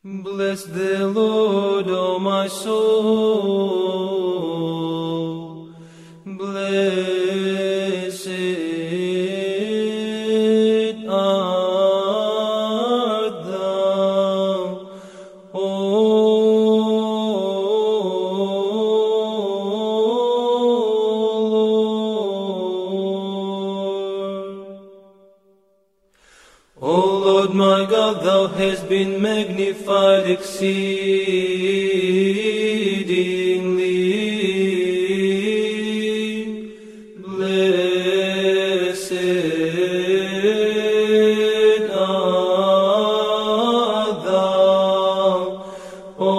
Bless the Lord, O my soul. Blessed art thou, O Lord. O Lord my God, thou hast been magnified exceedingly. Blessed art thou, O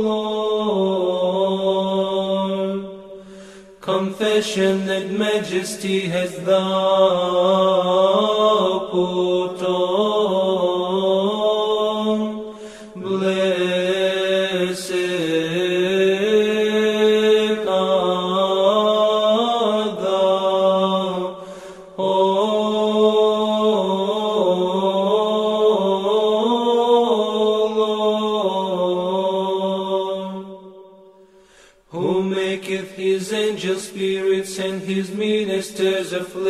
Lord. Confession that majesty hast thou put on. Blessed art thou, O Lord, who maketh his angels spirits and his ministers a flame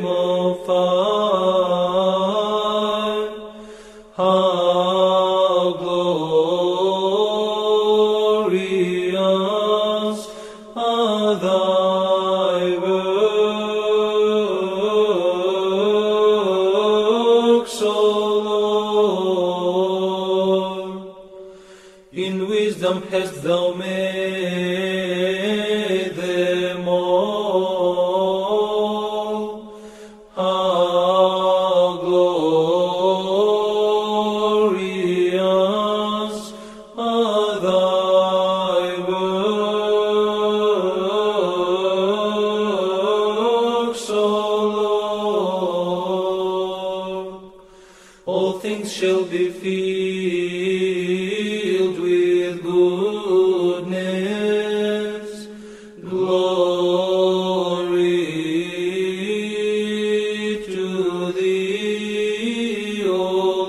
of fire. How glorious are thy works, O Lord. In wisdom hast thou made them all. How glorious are thy works, O Lord. All things shall be filled with goodness. Glory to thee, O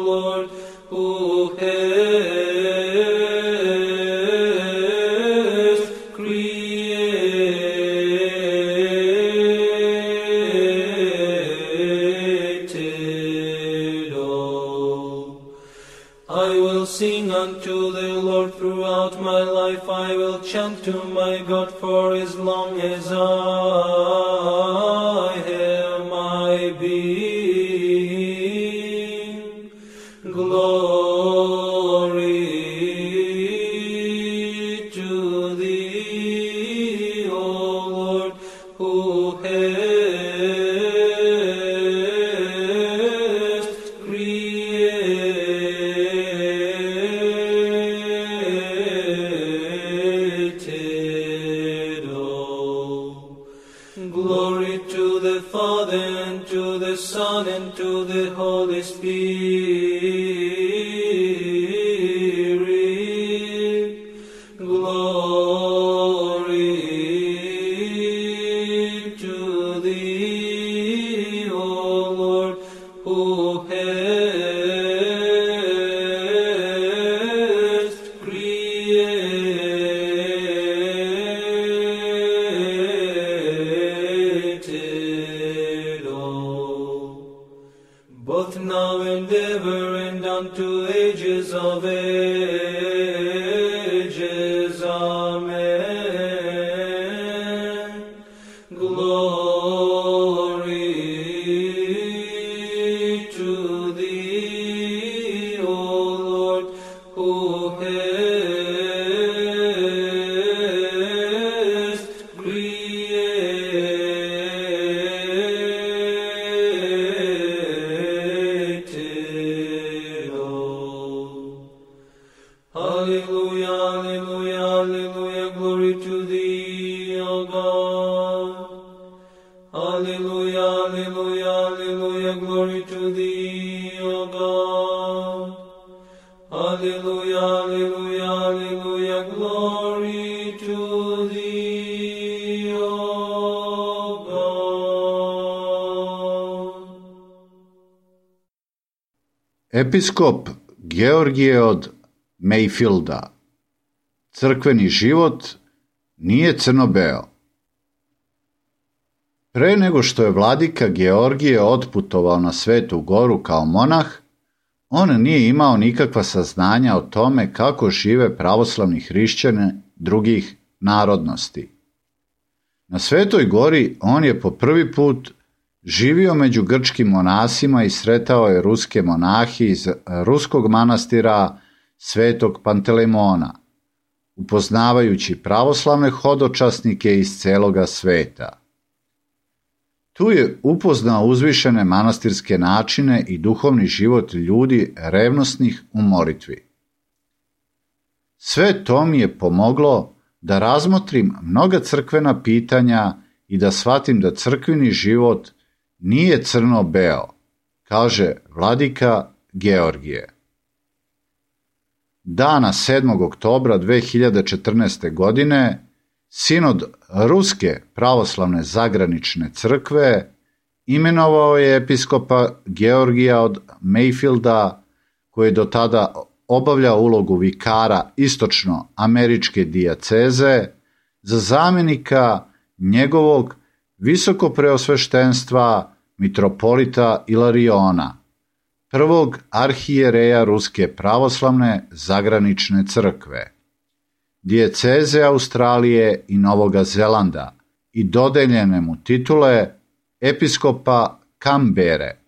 Lord, who hast created all. I will sing unto the Lord throughout my life. I will chant to my God for as long as I have my being. Glory to thee, O Lord, who hast created all. Glory to the Father, and to the Son, and to the Holy Spirit. Glory to thee, O Lord, who hast created all. Both now and ever, and unto ages of ages. Amen. Glory to thee, O Lord, who hast created all. Hallelujah, hallelujah, hallelujah, glory to thee, O God. Hallelujah, hallelujah, hallelujah, glory to thee, O God. Hallelujah, hallelujah, hallelujah, glory to thee, O God. Episkop Georgije od Mayfielda. Crkveni život nije crno-beo. Pre nego što je vladika Georgije otputovao na Svetu Goru kao monah, on nije imao nikakva saznanja o tome kako žive pravoslavni hrišćani drugih narodnosti. Na Svetoj Gori on je po prvi put živio među grčkim monasima i sretao je ruske monahe iz ruskog manastira Svetog Pantelemona, upoznavajući pravoslavne hodočasnike iz celoga sveta. Tu je upoznao uzvišene manastirske načine i duhovni život ljudi revnosnih u molitvi. Sve to mi je pomoglo da razmotrim mnoga crkvena pitanja i da shvatim da crkveni život nije crno-beo, kaže vladika Georgije. Dana 7. oktobra 2014. godine Sinod Ruske pravoslavne zagranične crkve imenovao je episkopa Georgija od Mayfielda, koji je do tada obavljao ulogu vikara istočno-američke dijaceze, za zamjenika njegovog visokopreosveštenstva mitropolita Ilariona, prvog arhijereja Ruske pravoslavne zagranične crkve, dijeceze Australije i Novoga Zelanda i dodeljene mu titule episkopa Kambere.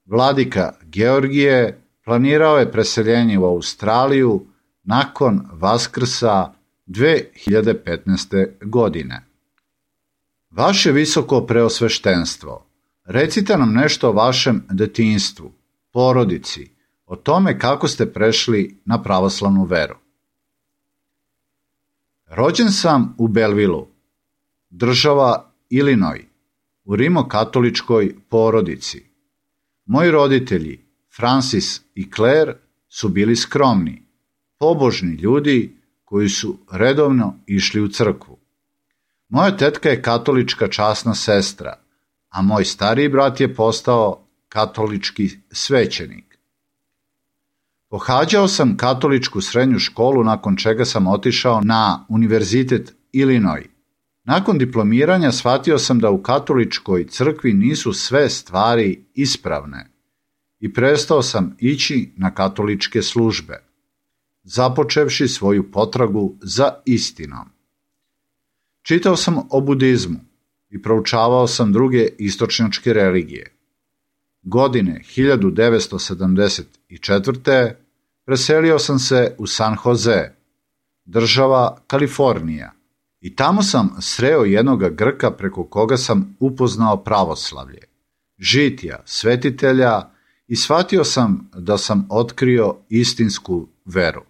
Vladika Georgije planirao je preseljenje u Australiju nakon Vaskrsa 2015. godine. Vaše visoko preosveštenstvo, recite nam nešto o vašem detinjstvu, porodici, o tome kako ste prešli na pravoslavnu veru. Rođen sam u Belvilu, država Illinois, u rimokatoličkoj porodici. Moji roditelji, Francis i Claire, su bili skromni, pobožni ljudi koji su redovno išli u crkvu. Moja tetka je katolička časna sestra, a moj stariji brat je postao katolički svećenik. Pohađao sam katoličku srednju školu, nakon čega sam otišao na Univerzitet Illinois. Nakon diplomiranja shvatio sam da u katoličkoj crkvi nisu sve stvari ispravne i prestao sam ići na katoličke službe, započevši svoju potragu za istinom. Čitao sam o budizmu i proučavao sam druge istočnjačke religije. Godine 1974. preselio sam se u San Jose, država Kalifornija, i tamo sam sreo jednoga Grka preko koga sam upoznao pravoslavlje, žitija, svetitelja, i shvatio sam da sam otkrio istinsku veru.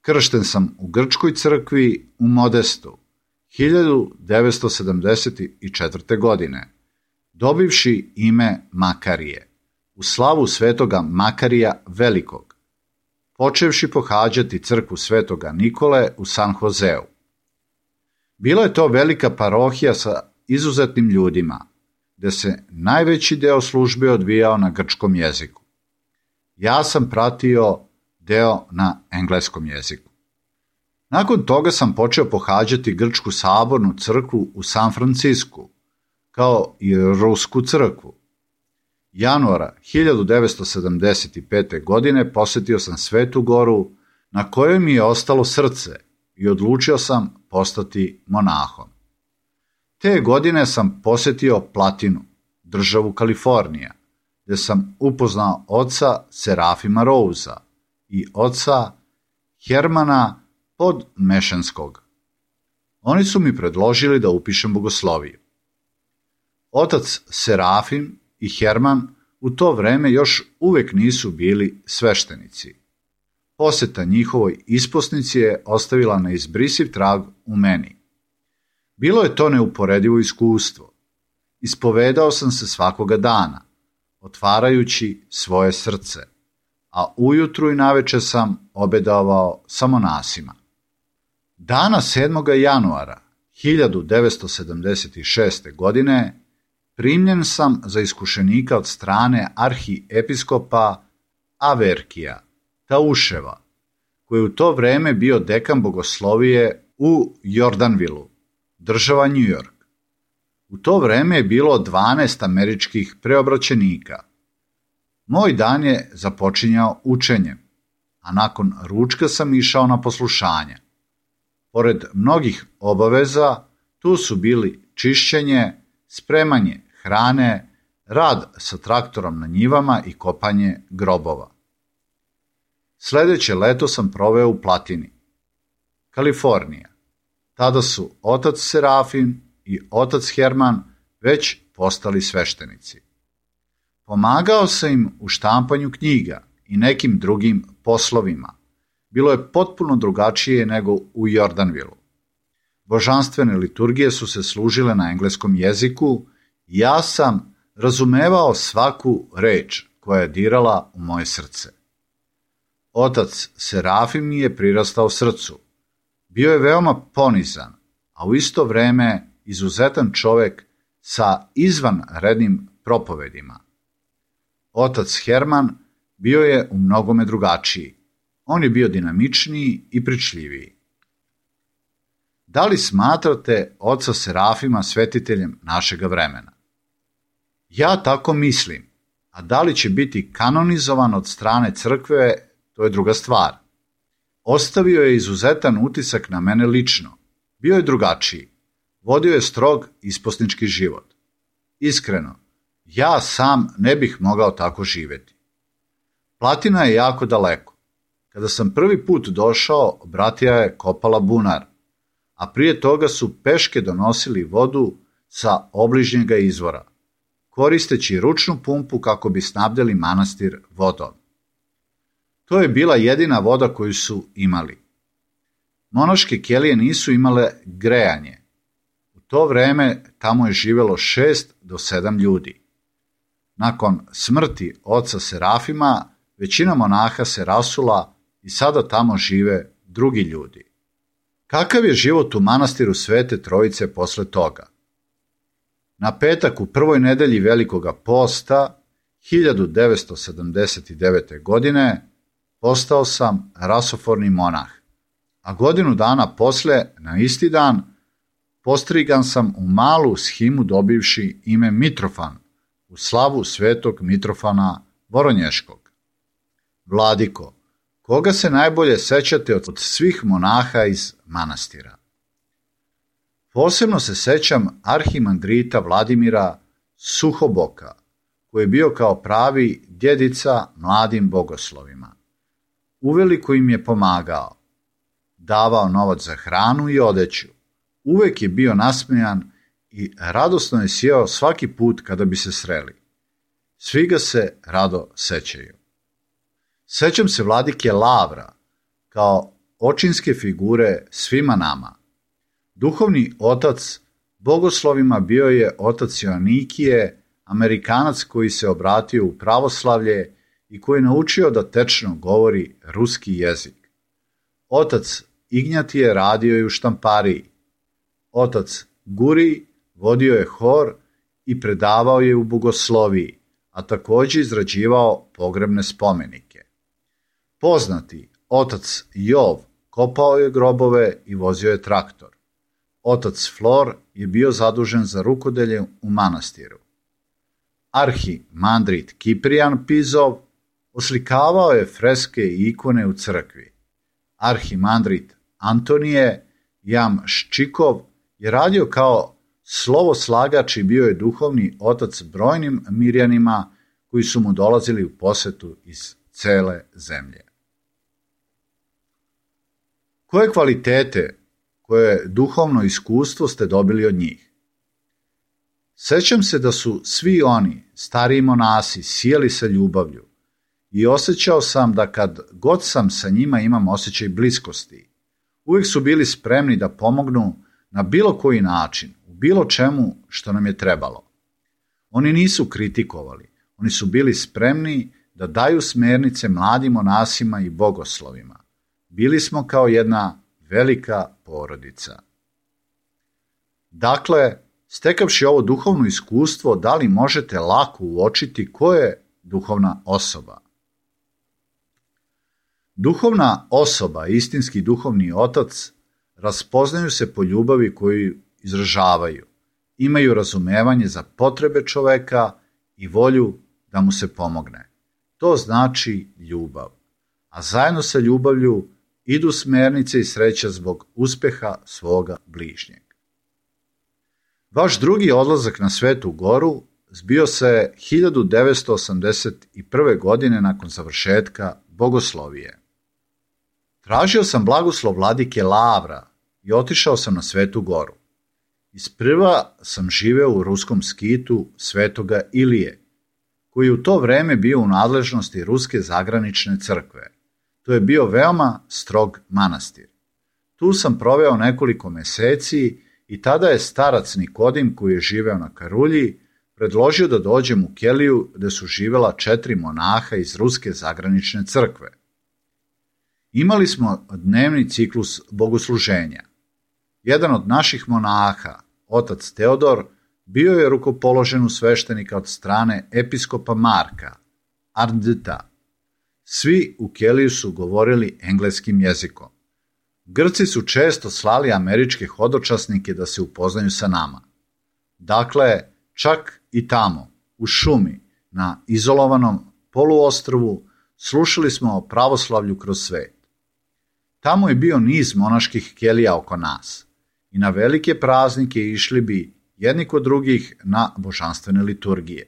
Kršten sam u grčkoj crkvi u Modestu 1974. godine, dobivši ime Makarije, u slavu svetoga Makarija Velikog, počevši pohađati crkvu svetoga Nikole u San Joseu. Bila je to velika parohija sa izuzetnim ljudima, gde se najveći deo službe odvijao na grčkom jeziku. Ja sam pratio deo na engleskom jeziku. Nakon toga sam počeo pohađati grčku sabornu crkvu u San Francisku, kao i rusku crkvu. Januara 1975. godine posetio sam Svetu Goru, na kojoj mi je ostalo srce, i odlučio sam postati monahom. Te godine sam posetio Platinu, državu Kalifornija, gde sam upoznao oca Serafima Rouza i oca Hermana Podmešanskog. Oni su mi predložili da upišem bogosloviju. Otac Serafim i Herman u to vreme još uvek nisu bili sveštenici. Poseta njihovoj isposnici je ostavila neizbrisiv trag u meni. Bilo je to neuporedivo iskustvo. Ispovedao sam se svakoga dana, otvarajući svoje srce, a ujutru i naveče sam obedovao sa monasima. Dana 7. januara 1976. godine primljen sam za iskušenika od strane arhiepiskopa Averkija Tauševa, koji je u to vreme bio dekan bogoslovije u Jordanvilu, država New York. U to vreme je bilo 12 američkih preobraćenika. Moj dan je započinjao učenjem, a nakon ručka sam išao na poslušanje. Pored mnogih obaveza, tu su bili čišćenje, spremanje hrane, rad sa traktorom na njivama i kopanje grobova. Sledeće leto sam proveo u Platini, Kalifornija. Tada su otac Serafim i otac Herman već postali sveštenici. Pomagao sam im u štampanju knjiga i nekim drugim poslovima. Bilo je potpuno drugačije nego u Jordanvilu. Božanstvene liturgije su se služile na engleskom jeziku i ja sam razumevao svaku reč koja je dirala u moje srce. Otac Serafim mi je prirastao srcu. Bio je veoma ponizan, a u isto vreme izuzetan čovek sa izvanrednim propovedima. Otac Herman bio je u mnogome drugačiji. On je bio dinamičniji i pričljiviji. Da li smatrate oca Serafima svetiteljem našega vremena? Ja tako mislim, a da li će biti kanonizovan od strane crkve, to je druga stvar. Ostavio je izuzetan utisak na mene lično. Bio je drugačiji. Vodio je strog isposnički život. Iskreno, ja sam ne bih mogao tako živeti. Platina je jako daleko. Kada sam prvi put došao, bratija je kopala bunar, a prije toga su peške donosili vodu sa obližnjega izvora, koristeći ručnu pumpu kako bi snabdjeli manastir vodom. To je bila jedina voda koju su imali. Monaške kelije nisu imale grejanje. U to vreme tamo je živelo 6 do 7 ljudi. Nakon smrti oca Serafima, većina monaha se rasula i sada tamo žive drugi ljudi. Kakav je život u manastiru Svete Trojice posle toga? Na petak u prvoj nedelji Velikoga posta 1979. godine postao sam rasoforni monah, a godinu dana posle, na isti dan, postrigan sam u malu shimu dobivši ime Mitrofan u slavu svetog Mitrofana Voronješkog. Vladiko, koga se najbolje sećate od svih monaha iz manastira? Posebno se sećam arhimandrita Vladimira Suhoboka, koji je bio kao pravi djedica mladim bogoslovima. Uveliko im je pomagao, davao novac za hranu i odeću. Uvek je bio nasmejan i radosno je sjeo svaki put kada bi se sreli. Svi ga se rado sećaju. Sećam se vladike Lavra, kao očinske figure svima nama. Duhovni otac bogoslovima bio je otac Joanikije, Amerikanac koji se obratio u pravoslavlje i koji je naučio da tečno govori ruski jezik. Otac Ignjatije radio je u štampariji. Otac Guri vodio je hor i predavao je u bogosloviji, a također izrađivao pogrebne spomenike. Poznati otac Jov kopao je grobove i vozio je traktor. Otac Flor je bio zadužen za rukodelje u manastiru. Arhimandrit Kiprijan Pizov oslikavao je freske i ikone u crkvi. Arhimandrit Antonije Jamščikov je radio kao slovoslagač i bio je duhovni otac brojnim Mirjanima koji su mu dolazili u posetu iz cele zemlje. Koje kvalitete, koje duhovno iskustvo ste dobili od njih? Sećam se da su svi oni, stariji monasi, sijeli sa ljubavlju i osjećao sam da kad god sam sa njima imam osjećaj bliskosti. Uvijek su bili spremni da pomognu na bilo koji način, u bilo čemu što nam je trebalo. Oni nisu kritikovali, oni su bili spremni da daju smernice mladim monasima i bogoslovima. Bili smo kao jedna velika porodica. Dakle, Stekavši ovo duhovno iskustvo, da li možete lako uočiti ko je duhovna osoba? Duhovna osoba, istinski duhovni otac, raspoznaju se po ljubavi koju izražavaju, imaju razumevanje za potrebe čoveka i volju da mu se pomogne. To znači ljubav, a zajedno sa ljubavlju idu smernice i sreća zbog uspeha svoga bližnjeg. Vaš drugi odlazak na Svetu Goru zbio se 1981. godine nakon završetka bogoslovije. Tražio sam blagoslov vladike Lavra i otišao sam na Svetu Goru. Isprva sam živeo u ruskom skitu Svetoga Ilije, koji je u to vreme bio u nadležnosti Ruske zagranične crkve. To je bio veoma strog manastir. Tu sam proveo nekoliko meseci i tada je starac Nikodim, koji je živeo na Karulji, predložio da dođem u keliju gde su živela 4 monaha iz Ruske zagranične crkve. Imali smo dnevni ciklus bogosluženja. Jedan od naših monaha, otac Teodor, bio je rukopoložen u sveštenika od strane episkopa Marka, Arndta. Svi u keliju su govorili engleskim jezikom. Grci su često slali američke hodočasnike da se upoznaju sa nama. Dakle, čak i tamo, u šumi, na izolovanom poluostrvu, slušali smo o pravoslavlju kroz svet. Tamo je bio niz monaških kelija oko nas i na velike praznike išli bi jedni kod drugih na božanstvene liturgije.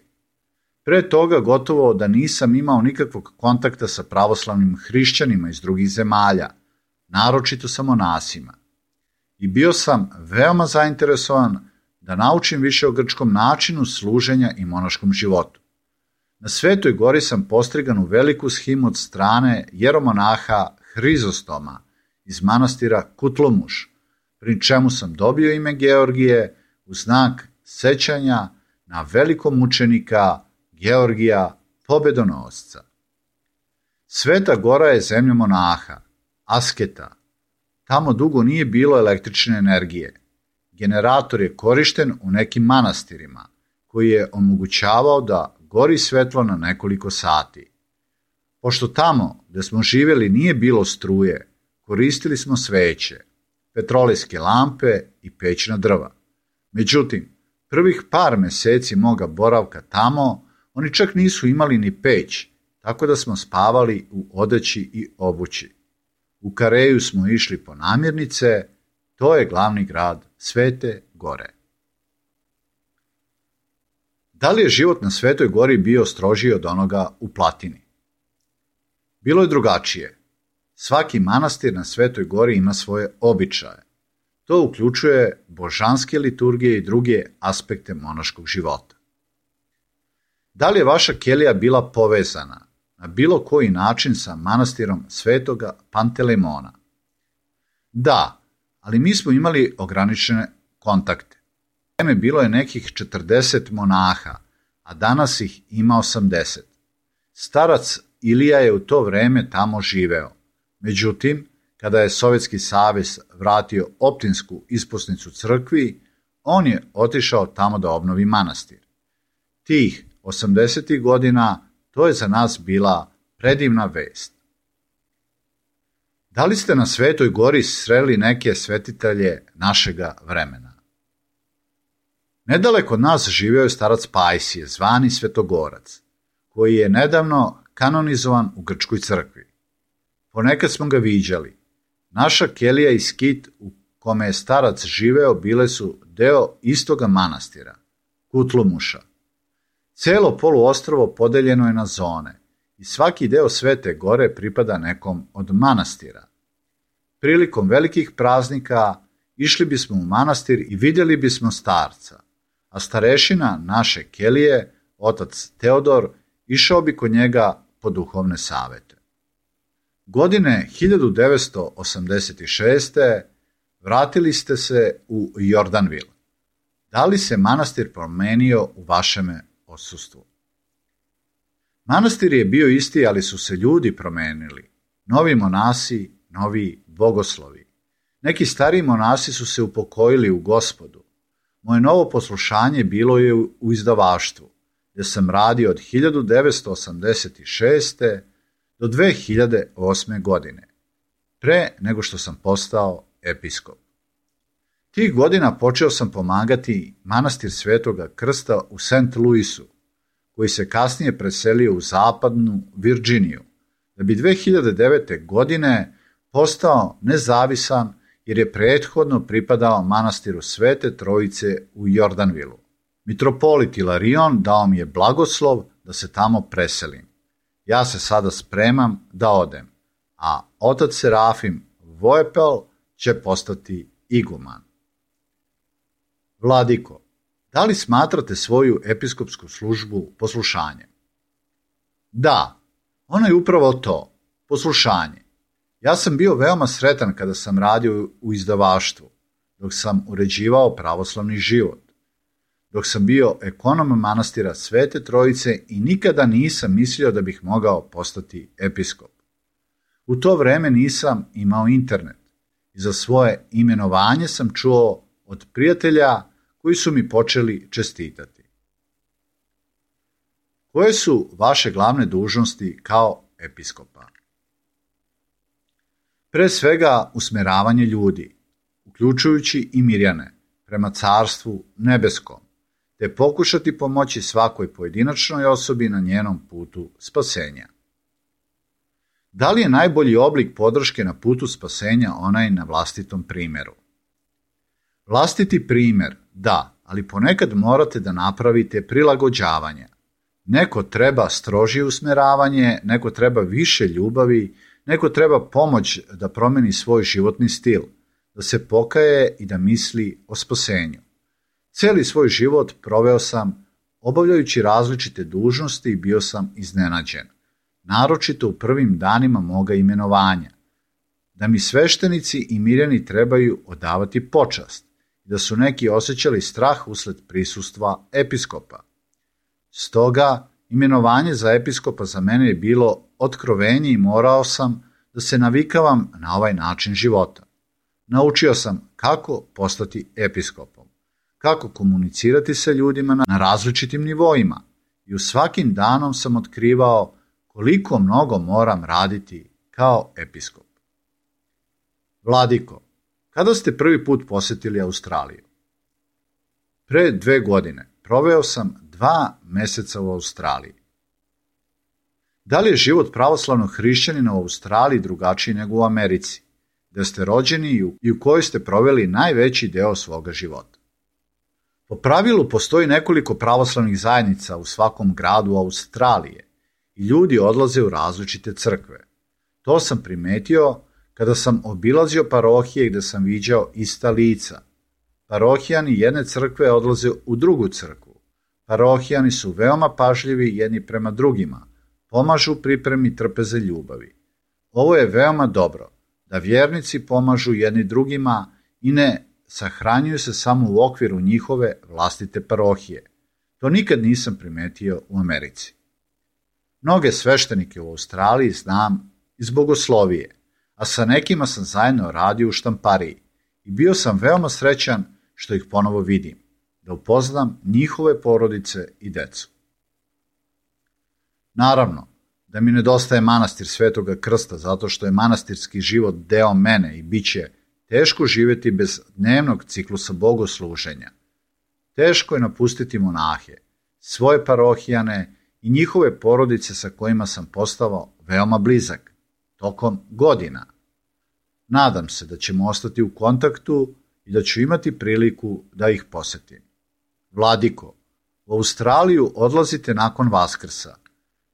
Pre toga gotovo da nisam imao nikakvog kontakta sa pravoslavnim hrišćanima iz drugih zemalja, naročito sa monasima. I bio sam veoma zainteresovan da naučim više o grčkom načinu služenja i monaškom životu. Na Svetoj Gori sam postrigan u veliku shimu od strane jeromonaha Hrizostoma iz manastira Kutlomuš, pri čemu sam dobio ime Georgije u znak sećanja na velikog mučenika Georgija Pobedonosca. Sveta Gora je zemlja monaha, asketa. Tamo dugo nije bilo električne energije. Generator je korišten u nekim manastirima, koji je omogućavao da gori svetlo na nekoliko sati. Pošto tamo gde smo živjeli nije bilo struje, koristili smo sveće, petrolejske lampe i pećna drva. Međutim, prvih par meseci moga boravka tamo, oni čak nisu imali ni peć, tako da smo spavali u odeći i obući. U Kareju smo išli po namirnice, to je glavni grad Svete Gore. Da li je život na Svetoj Gori bio strožiji od onoga u Platini? Bilo je drugačije. Svaki manastir na Svetoj Gori ima svoje običaje. To uključuje božanske liturgije i druge aspekte monaškog života. Da li je vaša kelija bila povezana na bilo koji način sa manastirom Svetoga Pantelemona? Da, ali mi smo imali ograničene kontakte. U vreme bilo je nekih 40 monaha, a danas ih ima 80. Starac Ilija je u to vreme tamo živeo. Međutim, kada je Sovjetski savez vratio Optinsku isposnicu crkvi, on je otišao tamo da obnovi manastir. Tih 80. godina to je za nas bila predivna vest. Da li ste na Svetoj Gori sreli neke svetitelje našega vremena? Nedaleko od nas živio je starac Pajsije, zvani Svetogorac, koji je nedavno kanonizovan u grčkoj crkvi. Ponekad smo ga viđali. Naša kelija i skit u kome je starac živeo bile su deo istoga manastira, Kutlomuša. Celo poluostrvo podeljeno je na zone i svaki deo Svete Gore pripada nekom od manastira. Prilikom velikih praznika išli bismo u manastir i vidjeli bismo starca, a starešina naše kelije, otac Teodor, išao bi kod njega po duhovne savete. Godine 1986. vratili ste se u Jordanvil. Da li se manastir promenio u vašem odsustvu? Manastir je bio isti, ali su se ljudi promenili. Novi monasi, novi bogoslovi. Neki stariji monasi su se upokojili u Gospodu. Moje novo poslušanje bilo je u izdavaštvu, gdje sam radio od 1986. do 2008. godine, pre nego što sam postao episkop. Tih godina počeo sam pomagati manastir Svetoga Krsta u St. Louisu, koji se kasnije preselio u zapadnu Virginiju, da bi 2009. godine postao nezavisan jer je prethodno pripadao manastiru Svete Trojice u Jordanvilu. Mitropolit Ilarion dao mi je blagoslov da se tamo preselim. Ja se sada spremam da odem, a otac Serafim Voepel će postati iguman. Vladiko, da li smatrate svoju episkopsku službu poslušanjem? Da, ono je upravo to, poslušanje. Ja sam bio veoma sretan kada sam radio u izdavaštvu, dok sam uređivao pravoslavni život, dok sam bio ekonom manastira Svete Trojice i nikada nisam mislio da bih mogao postati episkop. U to vreme nisam imao internet i za svoje imenovanje sam čuo od prijatelja koji su mi počeli čestitati. Koje su vaše glavne dužnosti kao episkopa? Pre svega usmeravanje ljudi, uključujući i Mirjane, prema Carstvu nebeskom, te pokušati pomoći svakoj pojedinačnoj osobi na njenom putu spasenja. Da li je najbolji oblik podrške na putu spasenja onaj na vlastitom primjeru? Vlastiti primjer, da, ali ponekad morate da napravite prilagođavanja. Neko treba strožije usmeravanje, neko treba više ljubavi, neko treba pomoć da promeni svoj životni stil, da se pokaje i da misli o spasenju. Cijeli svoj život proveo sam obavljajući različite dužnosti i bio sam iznenađen, naročito u prvim danima moga imenovanja, da mi sveštenici i mirjani trebaju odavati počast i da su neki osjećali strah usled prisustva episkopa. Stoga, imenovanje za episkopa za mene je bilo otkrovenje i morao sam da se navikavam na ovaj način života. Naučio sam kako postati episkopom, kako komunicirati sa ljudima na različitim nivoima i u svakim danom sam otkrivao koliko mnogo moram raditi kao episkop. Vladiko, kada ste prvi put posjetili Australiju? Pre 2 godine proveo sam 2 meseca u Australiji. Da li je život pravoslavnog hrišćanina u Australiji drugačiji nego u Americi, gde ste rođeni i u kojoj ste proveli najveći deo svoga života? Po pravilu postoji nekoliko pravoslavnih zajednica u svakom gradu Australije i ljudi odlaze u različite crkve. To sam primetio kada sam obilazio parohije gde sam viđao ista lica. Parohijani jedne crkve odlaze u drugu crkvu. Parohijani su veoma pažljivi jedni prema drugima, pomažu u pripremi trpeze ljubavi. Ovo je veoma dobro, da vjernici pomažu jedni drugima i ne sahranjuju se samo u okviru njihove vlastite parohije. To nikad nisam primetio u Americi. Mnoge sveštenike u Australiji znam iz bogoslovije, a sa nekima sam zajedno radio u štampariji i bio sam veoma srećan što ih ponovo vidim, da upoznam njihove porodice i decu. Naravno, da mi nedostaje manastir Svetoga Krsta zato što je manastirski život deo mene i bit će teško živjeti bez dnevnog ciklusa bogosluženja. Teško je napustiti monahe, svoje parohijane i njihove porodice sa kojima sam postao veoma blizak tokom godina. Nadam se da ćemo ostati u kontaktu i da ću imati priliku da ih posetim. Vladiko, u Australiju odlazite nakon Vaskrsa.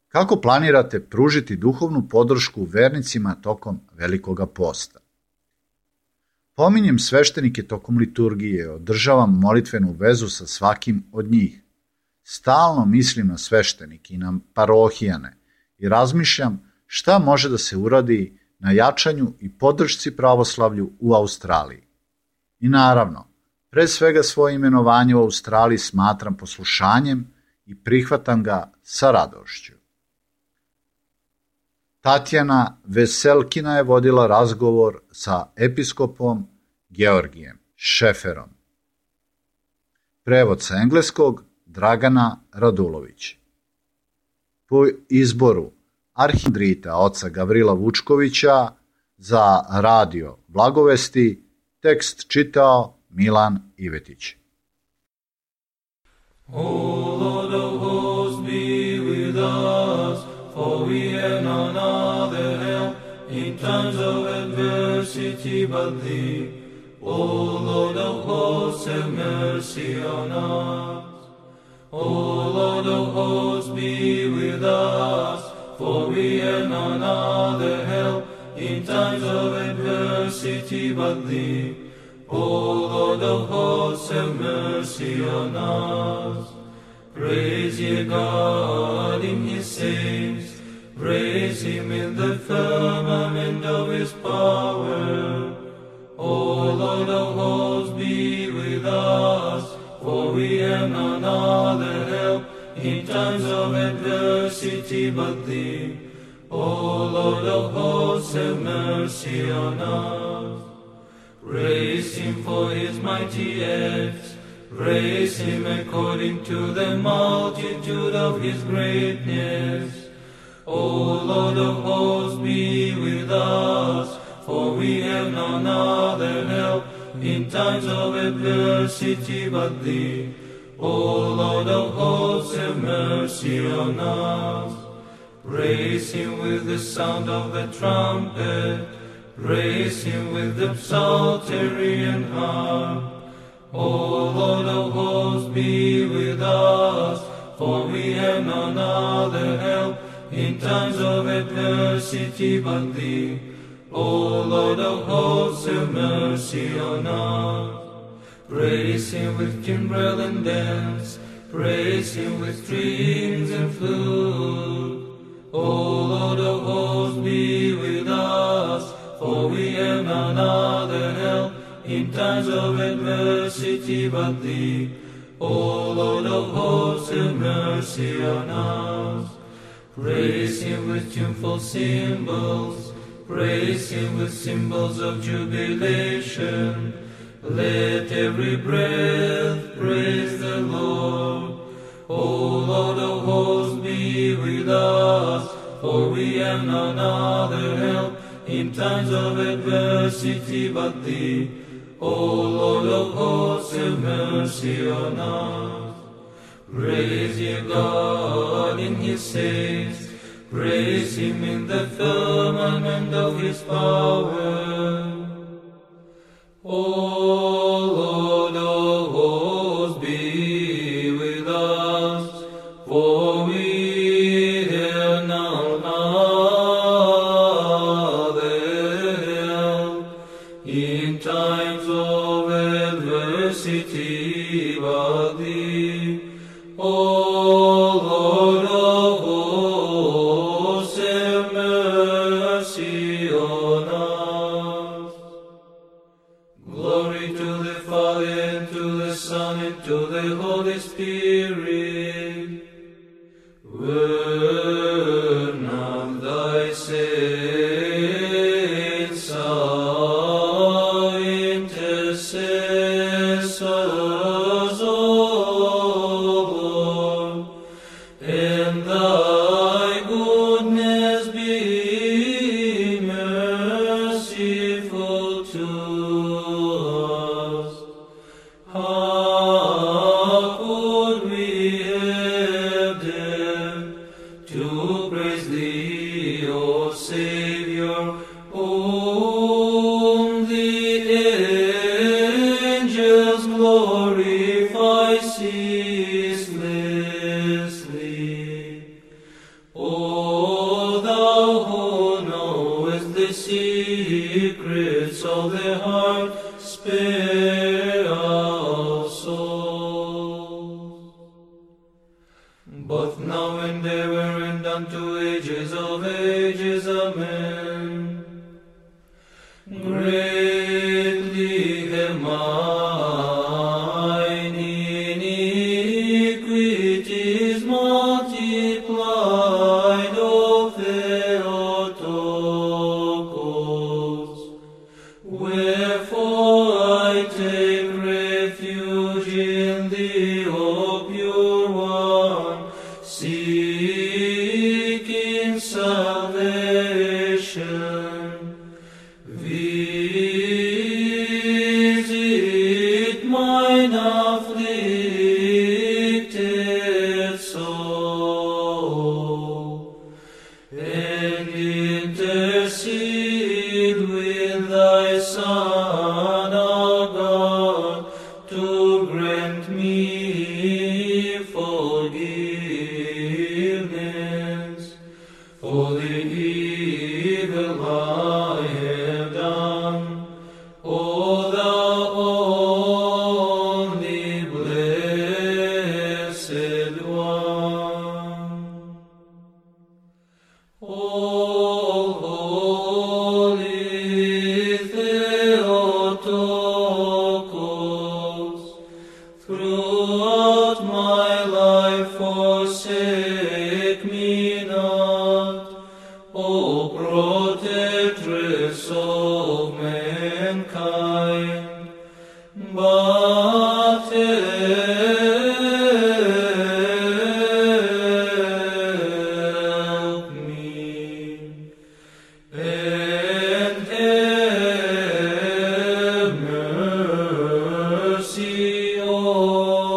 Kako planirate pružiti duhovnu podršku vernicima tokom Velikoga posta? Pominjem sveštenike tokom liturgije, održavam molitvenu vezu sa svakim od njih. Stalno mislim na sveštenike i na parohijane i razmišljam šta može da se uradi na jačanju i podršci pravoslavlju u Australiji. I naravno, pre svega svoje imenovanje u Australiji smatram poslušanjem i prihvatam ga sa radošću. Tatjana Veselkina je vodila razgovor sa episkopom Georgijem Šeferom. Prevod sa engleskog Dragana Radulović. Po izboru arhimandrita oca Gavrila Vučkovića za radio Blagovesti tekst čitao Milan Ivetić. O Lord of hosts, be with us, for we have none other help in times of adversity but Thee. O Lord of hosts, have mercy on us. O Lord of hosts, be with us, for we have none other help in times of adversity but Thee. O Lord of hosts, have mercy on us. Praise ye God in His saints, praise Him in the firmament of His power. O Lord of hosts, be with us, for we have none other help in times of adversity but Thee. O Lord of hosts, have mercy on us. Praise Him for His mighty acts, praise Him according to the multitude of His greatness. O Lord of hosts, be with us, for we have none other help in times of adversity but Thee. O Lord of hosts, have mercy on us. Praise Him with the sound of the trumpet, praise Him with the psaltery and harp. O Lord of hosts, be with us, for we have none other help in times of adversity but Thee. O Lord of hosts, have mercy on us. Praise Him with timbrel and dance, praise Him with strings and flute. O Lord of hosts, be with us, for we have none other help in times of adversity but Thee. O Lord of hosts, have mercy on us. Praise Him with tuneful cymbals, praise Him with cymbals of jubilation. Let every breath praise the Lord. O Lord of hosts, be with us, for we have none other help in times of adversity but Thee. O Lord of hosts, have mercy on us. Praise ye God in His saints, praise Him in the firmament of His power. O Lord of hosts, be with us, for we have none other help in times of adversity but Thee. O Lord of hosts, have mercy on us. Glory to the Father, and to the Son, and to the Holy Spirit. Burn of Thy saints, our intercessors, O Lord, and Thy goodness be merciful to us. How could we have dared to praise Thee, O Savior, whom the angels glorify ceaselessly? O Thou who knowest the secrets of the heart, spare our souls. Both now and ever and unto ages of ages, amen. Greatly have mine iniquities multiplied, O Theotokos. Wherefore I take refuge in Thee, pure one, seeking salvation. Visit mine afflicted soul, and intercede with thy Son, our God, to grant me forgiveness for the evil I have done. O thou only blessed one. All holy Theotokos, throughout my life forsake me not, O protectress of mankind, but help me, and have mercy on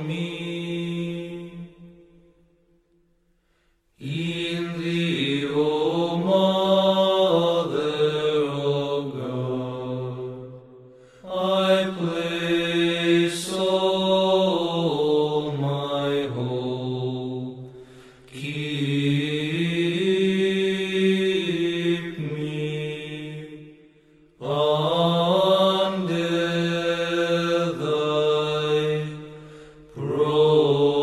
me. In thee, O Mother of God, I place all my hope. Keep me under thy protection.